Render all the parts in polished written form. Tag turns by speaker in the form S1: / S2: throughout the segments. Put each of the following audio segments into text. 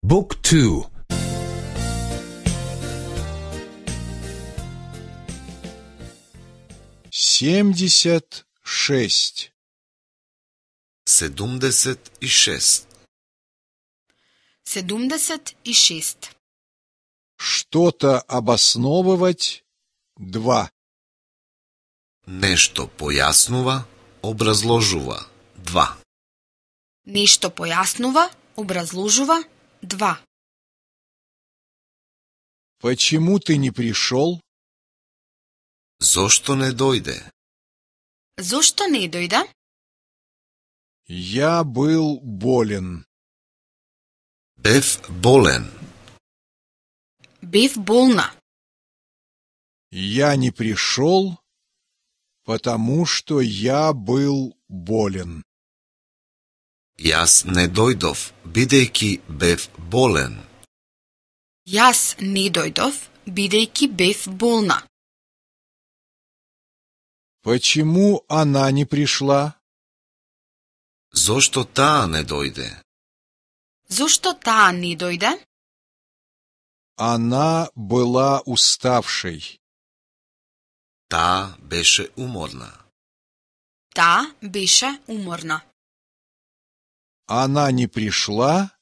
S1: Book 2.
S2: Семьдесят шесть.
S3: 76.
S4: 76.
S2: Что-то обосновывать. 2.
S3: Нешто појаснува, образложува. 2.
S4: Нешто појаснува, образложува. 2.
S2: Почему ты не пришел?
S3: Зошто не дојде?
S4: Зошто не дојде?
S2: Я был болен.
S3: Бев болен.
S4: Бев болна.
S2: Я не пришел, потому что я был болен.
S3: Јас не дојдов, бидејќи бев болен.
S4: Јас не дојдов, бидејќи бев болна.
S2: Почему она не пришла?
S3: Зошто таа не дојде?
S4: Зошто таа не дојде?
S2: Она была уставшей.
S3: Таа беше уморна.
S4: Таа беше уморна.
S2: Она не пришла,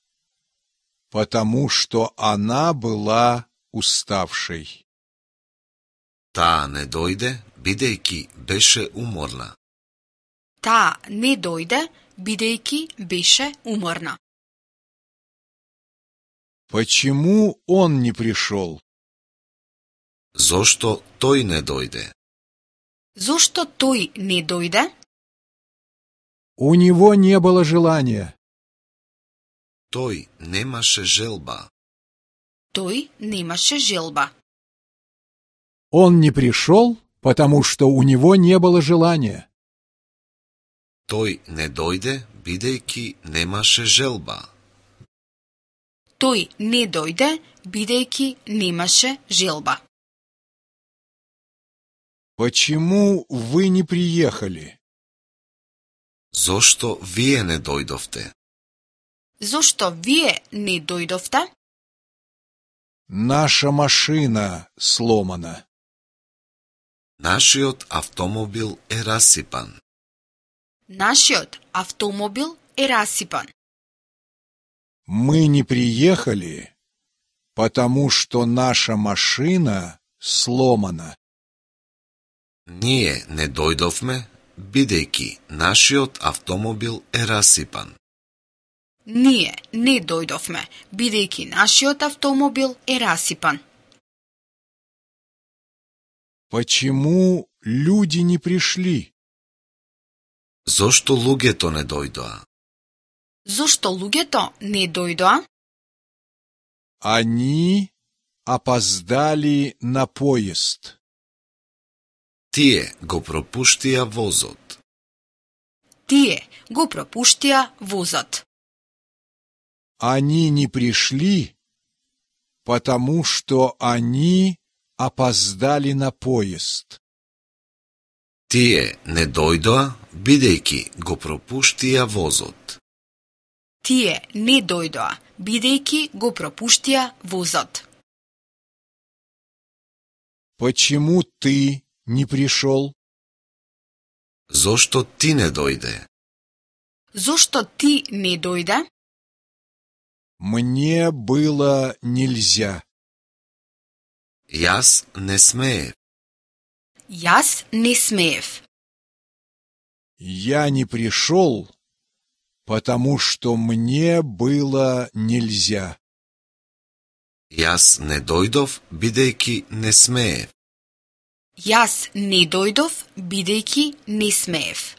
S2: потому что она была уставшей.
S3: Таа не дојде, бидејќи беше уморна.
S4: Таа не дојде, бидејќи беше уморна.
S2: Почему он не пришел?
S3: Зошто тој не дојде?
S4: Зошто тој не дојде?
S2: У него не было желания.
S3: Тој немаше желба.
S4: Тој немаше желба.
S2: Он не пришел, потому что у него не было желания.
S3: Тој не дојде, бидејќи немаше желба.
S4: Тој не дојде, бидејќи немаше желба.
S2: Почему вы не приехали?
S3: Зошто вие не дојдовте?
S4: Зошто вие не дојдовте?
S2: Наша машина сломана.
S3: Нашиот автомобил е расипан.
S4: Нашиот автомобил е расипан.
S2: Мы не приехали, потому что наша машина сломана.
S3: Ние не дојдовме, бидејќи нашиот автомобил е расипан.
S4: Ние не дојдовме, бидејќи нашиот автомобил е расипан.
S2: Почему люди не пришли?
S3: Зошто луѓето не дојдоа?
S4: Зошто луѓето не дојдоа?
S2: Они опоздали на поезд.
S3: Тие го пропуштија возот.
S4: Тие го пропуштија возот.
S2: Они не пришли, потому что они опоздали на поезд.
S3: Тие не дојдоа, бидејќи го пропуштија возот.
S4: Тие не дојдоа, бидејќи го пропуштија возот.
S2: Почему ты не пришел?
S3: Зошто ти не дојде?
S4: Зошто ти не дојде?
S2: Мне было нельзя.
S3: Јас не смеев.
S4: Јас не смеев.
S2: Я не пришел, потому что мне было нельзя.
S3: Јас не дојдов, бидејќи не смеев.
S4: Јас не дојдов, бидејќи не смеев.